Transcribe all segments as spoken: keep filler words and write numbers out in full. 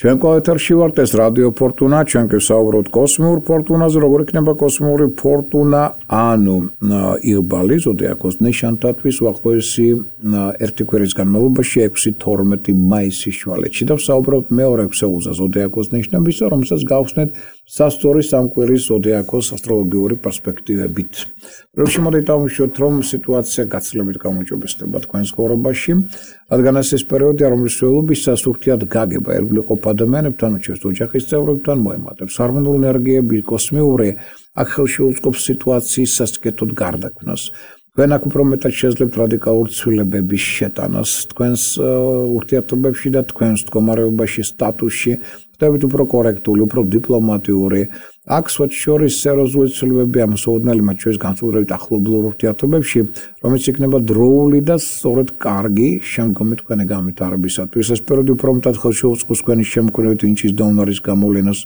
ჩვენ კოეთერში ვართ, ეს რადიო ფორტუნა, ჩვენ გესაუბროთ კოსმიურ ფორტუნაზე, როგორ იქნება კოსმიური ფორტუნა, ანუ იღბალი ზოდიაქოს ნიშანთათვის უახლოესი ერთი კვირის განმავლობაში ექვსი თორმეტი მაისის შუალედში და ვსაუბრობთ მეორე ქსეულზე ზოდიაქოს ნიშნებისა, რომელსაც გავხსნით სასწორი სამკვირის ზოდიაქოს ასტროლოგიური პერსპექტივებით. Როცა მოდით დავუშვათ, რომ სიტუაცია გაცილებით გამოჯობესდება თქვენს ცხოვრებაში, რადგან ეს ის პერიოდია, რომლის სრულობისას ურთიერთ გაგება ერგვლიყო ადამიანებთან, უჩვენს ოჯახის წევრებთან, მოემატებს ჰარმონიული ენერგიები, კოსმიური, აქ ხელში უწყობს სიტუაციის სასტიკეთოდ გარდაქმნას. თქვენ აქ უფრო მეტად შეძლებთ რადიკალურ ცვლილებების შეტანას თქვენს ურთიერთობებში და თქვენს მდგომარეობაში, სტატუსში, ხდებით უფრო კორექტული, უფრო დიპლომატიური. აქ შორის სერიოზული ცვლილებები ამსაუდნელი მათ შორის განსაკუთრებით ახლობლურ ურთიერთობებში, რომელიც იქნება დროული და სწორედ კარგი შემდგომი თქვენი განვითარებისათვის. ეს პერიოდი უფრო მეტად ხელში უწყობს თქვენი შემქმნელი ინჩის და უნარის გამოვლენას.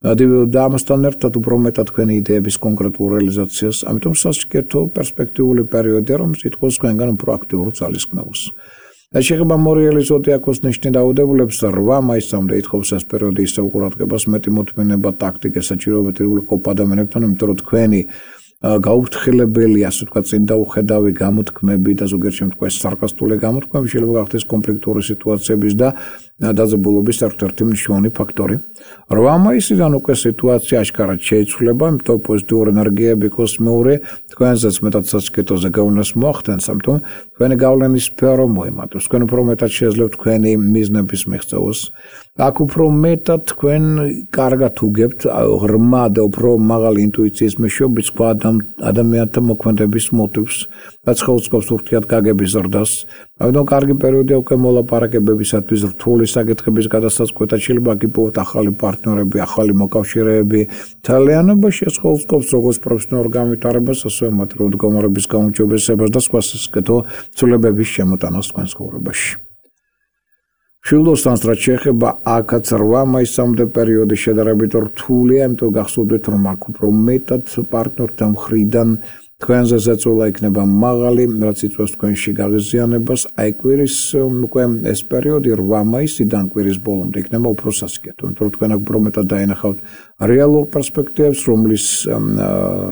და ამასთან ერთად უფრო მეტად თქვენი იდეების კონკრეტულ რეალიზაციას, ამიტომ სასტიკეთო პერსპექტიული პერიოდია, რომელიც ითხოვს თქვენგან უფრო აქტიურ ძალისხმევას. ეს შეეხება მორიელი ზოდიაქოს ნიშნი დაავადებულებს რვა მაისამდე ითხოვს ეს პერიოდი ისევ ყურადღებას, მეტი მოთმინება, ტაქტიკა, საჭიროება ირგვლივ ადამიანებთან, იმიტომ რომ თქვენი გაუფრთხილებელი, ასე ვთქვათ, წინდაუხედავი გამოთქმები და ზოგიერთ შემთხვევაში სარკასტული გამოთქმები შეიძლება გახდეს კონფლიქტური სიტუაციების და დაძაბულობის ერთ-ერთი მნიშვნელოვანი ფაქტორი. რვა მაისიდან უკვე სიტუაცია აშკარად შეიცვლება, იმიტომ პოზიტიური ენერგიები კოსმიური თქვენზეც მეტად სასტიკეთოზე გავლენას მოახდენს, ამიტომ თქვენი გავლენის სფერო მოემატებს. თქვენ უფრო მეტად შეძლებთ თქვენი მიზნების მიღწევას. აქ უფრო მეტად თქვენ კარგად უგებთ ღრმა და უფრო მაღალი ინტუიციის მეშვეობით სხვა ადამიანთა მოქმედების მოტივს, რაც ხელს ურთიერთგაგების ზრდას. ამიტომ კარგი პერიოდია უკვე მოლაპარაკებებისათვის, რთული საკითხების გადასაწყვეტად, შეიძლება გიპოვოთ ახალი პარტნიორები, ახალი მოკავშირეები. თალიანობაში ეს ხელს როგორც პროფესიონალურ განვითარებას, ასევე მატერიალური მდგომარეობის გაუმჯობესებას და სხვა სასტიკეთო ცვლილებების შემოტანას თქვენს ცხოვრებაში. შილდოსთან რაც შეეხება აქაც რვა მაისამდე პერიოდი შედარებით რთულია, იმიტომ გახსოვდეთ, რომ აქ უფრო მეტად პარტნიორთა მხრიდან თქვენზე ზეწოლა იქნება მაღალი, რაც იწვევს თქვენში გაღიზიანებას. აი კვირის უკვე ეს პერიოდი რვა მაისიდან კვირის ბოლომდე იქნება უფრო სასტიკეთო, იმიტომ რომ თქვენ აქ უფრო მეტად დაინახავთ რეალურ პერსპექტივებს, რომლის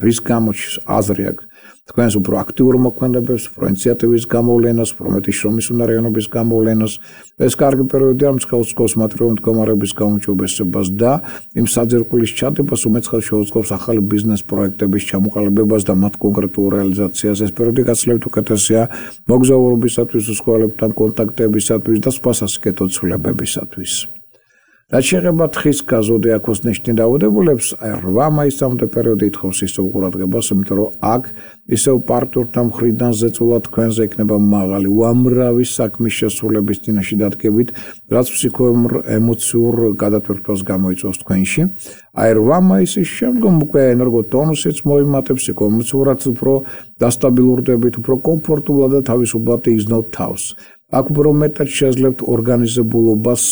რის გამოჩ აზრი აქვს თქვენს უფრო აქტიურ მოქმედებებს, უფრო ინიციატივის გამოვლენას, უფრო მეტი შრომის უნარიანობის გამოვლენას. ეს კარგი პერიოდია, რომელიც ხელს უწყობს მატერიალური მდგომარეობის გაუმჯობესებას და იმ საძირკვლის ჩადებას, რომელიც ხელს უწყობს ახალი ბიზნეს პროექტების ჩამოყალიბებას და მათ კონკრეტულ რეალიზაციას. ეს პერიოდი გაცილებით უკეთესია მოგზაურობისათვის, უცხოელებთან კონტაქტებისათვის და სხვა სასტიკეთო ცვლილებებისათვის. რაც შეეხება თხის ზოდიაქოს ნიშნით დაავადებულებს, რვა მაისამდე პერიოდი ითხოვს ისევ ყურადღებას, იმიტომ რომ აქ ისევ პარტნიორთა მხრიდან ზეწოლა თქვენზე იქნება მაღალი, უამრავი საქმის შესრულების წინაშე დადგებით, რაც ფსიქოემოციურ გადატვირთვას გამოიწვევს თქვენში. აი რვა მაისის შემდგომ უკვე ენერგოტონუსიც მოიმატებს, ფსიქოემოციურად უფრო დასტაბილურდებით, უფრო კომფორტულად და თავისუფლად იგრძნობთ თავს. აქ უფრო მეტად შეძლებთ ორგანიზებულობას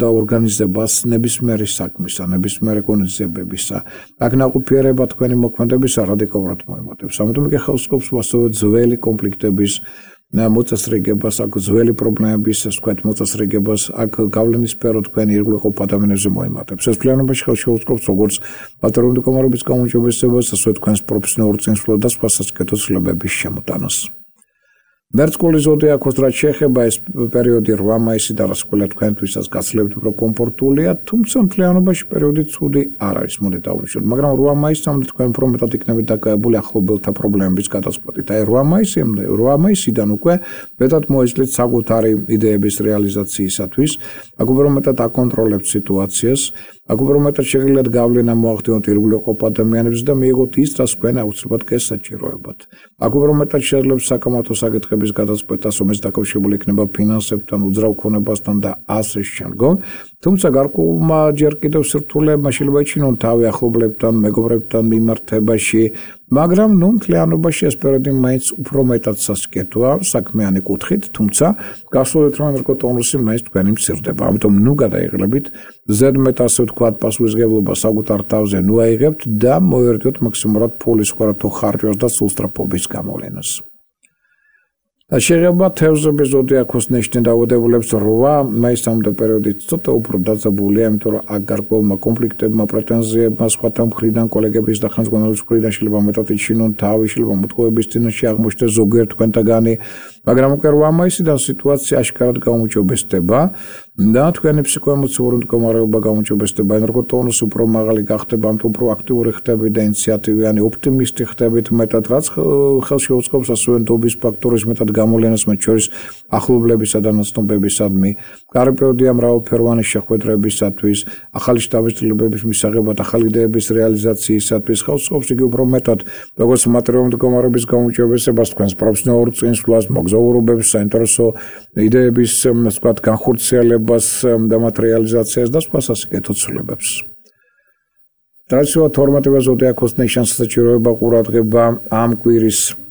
და ორგანიზებას ნებისმიერი საქმისა, ნებისმიერი ღონისძიებებისა. აქ ნაყოფიერება თქვენი მოქმედებისა რადიკალურად მოემატებს. ამიტომ იგი ხელს უწყობს ასევე ძველი კონფლიქტების მოწესრიგებას, აქ ძველი პრობლემების, ასე ვთქვათ, მოწესრიგებას, აქ გავლენის სფერო თქვენი ირგვლივ ადამიანებზე მოემატებს. ეს ფლიანობაში ხელს შეუწყობს როგორც მატერიალური მდგომარეობის გაუმჯობესებას, ასევე თქვენს პროფესიონალურ წინსვლას და სხვა სასტიკეთო ცვლილებების შემოტანას. მერწყული ზოდიაქოს რაც შეეხება ეს პერიოდი რვა მაისიდან რასკვლელად თქვენთვისაც გაცილებით უფრო კომფორტულია, თუმცა მთლიანობაში პერიოდი ცუდი არ არის, მოდით დავუშვათ, მაგრამ რვა მაისამდე თქვენ უფრო მეტად იქნებით დაკავებული ახლობელთა პრობლემების გადაწყვეტით. აი რვა მაისამდე, რვა მაისიდან უკვე მეტად მოეძლეთ საკუთარი იდეების რეალიზაციისათვის, აქ უფრო მეტად აკონტროლებთ სიტუაციას, აქ უფრო მეტად შეგიძლიათ გავლენა მოახდინოთ ირგვლივ ადამიანებს და მიიღოთ ის, რაც თქვენ აუცილებლად გესაჭიროებათ. აქ უფრო მეტად შეძლებთ საკამათო საკითხების გადაწყვეტას, რომელიც დაკავშირებული იქნება ფინანსებთან, უძრავ ქონებასთან და ასე შემდგომ. თუმცა გარკვეულმა ჯერ კიდევ სირთულეებმა შეიძლება იჩინონ თავი ახლობლებთან, მეგობრებთან მიმართებაში, მაგრამ ნუ მთლიანობაში ეს პერიოდი მაინც უფრო მეტად სასტიკეთოა საქმიანი კუთხით, თუმცა გასულეთ რომ ენერგოტონუსი მაინც თქვენი მცირდება. ამიტომ ნუ გადაიღლებით, ზედმეტ ასე ვთქვათ, პასუხისმგებლობა საკუთარ თავზე ნუ აიღებთ და მოერიდოთ მაქსიმალურად ფულის ხარჯვას და სულსწრაფობის გამოვლენას. შეღება თევზების ზოდიაქოს ნიშნი დაავადებულებს რვა მაისამდე პერიოდით ცოტა უფრო დაძაბულია, იმიტომ რომ აქ გარკვეულმა კონფლიქტებმა, პრეტენზიებმა სხვათა მხრიდან, კოლეგების და ხელმძღვანელობის მხრიდან შეიძლება მეტად იჩინონ თავი, შეიძლება მოტყუების წინაშე აღმოჩნდეს ზოგიერთ თქვენთაგანი, მაგრამ უკვე რვა მაისიდან სიტუაცია აშკარად გაუმჯობესდება და თქვენი ფსიქოემოციური მდგომარეობა გაუმჯობესდება, ენერგო ტონუსი უფრო მაღალი გახდება, ამიტომ უფრო აქტიური ხდებით და ინიციატივიანი, ოპტიმისტი ხდებით მეტად, რაც ხელში უწყობს ასევე ნდობის ფაქტორის მეტად გამოვლენას მათ შორის ახლობლებისა და ნაცნობებისადმი, კარგი პერიოდია მრავალფეროვანი შეხვედრებისათვის, ახალი შთაბეჭდილებების მისაღებად, ახალი იდეების რეალიზაციისათვის, ხელს უწყობს იგი უფრო მეტად, როგორც მატერიალური მდგომარეობის გაუმჯობესებას, თქვენს პროფესიონალურ წინსვლას, მოგზაურობებს, საინტერესო იდეების, ასე ვთქვათ, განხორციელებას და მათ რეალიზაციას და სხვა სასიკეთო ცვლილებებს. ტრადიციულად თორმეტივე ზოდიაქოს ნიშანს საჭიროება ყურადღება ამ კვირის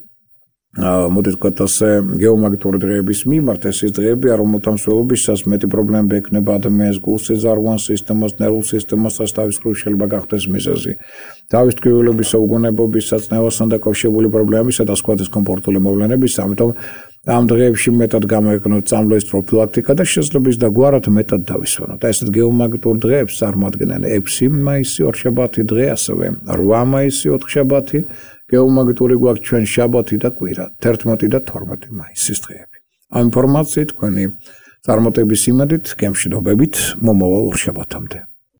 მოდით ვთქვათ ასე გეომაგნიტური დღეების მიმართ, ეს ის დღეებია, რომელთა მსვლელობისას მეტი პრობლემები ექნება ადამიანის გულ-სიზარღვან სისტემას, ნერვულ სისტემასაც, თავის მხრივ შეიძლება გახდეს მიზეზი. თავის ტკივილებისა, უგონებობისა, წნევასთან დაკავშირებული პრობლემებისა და სხვა დისკომფორტული მოვლენებისა, ამიტომ ამ დღეებში მეტად გამოიყენოთ წამლების პროფილაქტიკა და შესაძლოა და გვარად მეტად დავისვენოთ. ესეთ გეომაგნიტურ დღეებს წარმოადგენენ ექვსი მაისი ორშაბათი დღე, ასევე რვა მაისი ოთხშაბათი, გეომაგნიტური გვაქვს ჩვენ შაბათი და კვირა, თერთმეტი და თორმეტი მაისის დღეები. ამ ინფორმაციით თქვენი წარმატების იმედით, გემშვიდობებით, მომავალ ორშაბათამდე.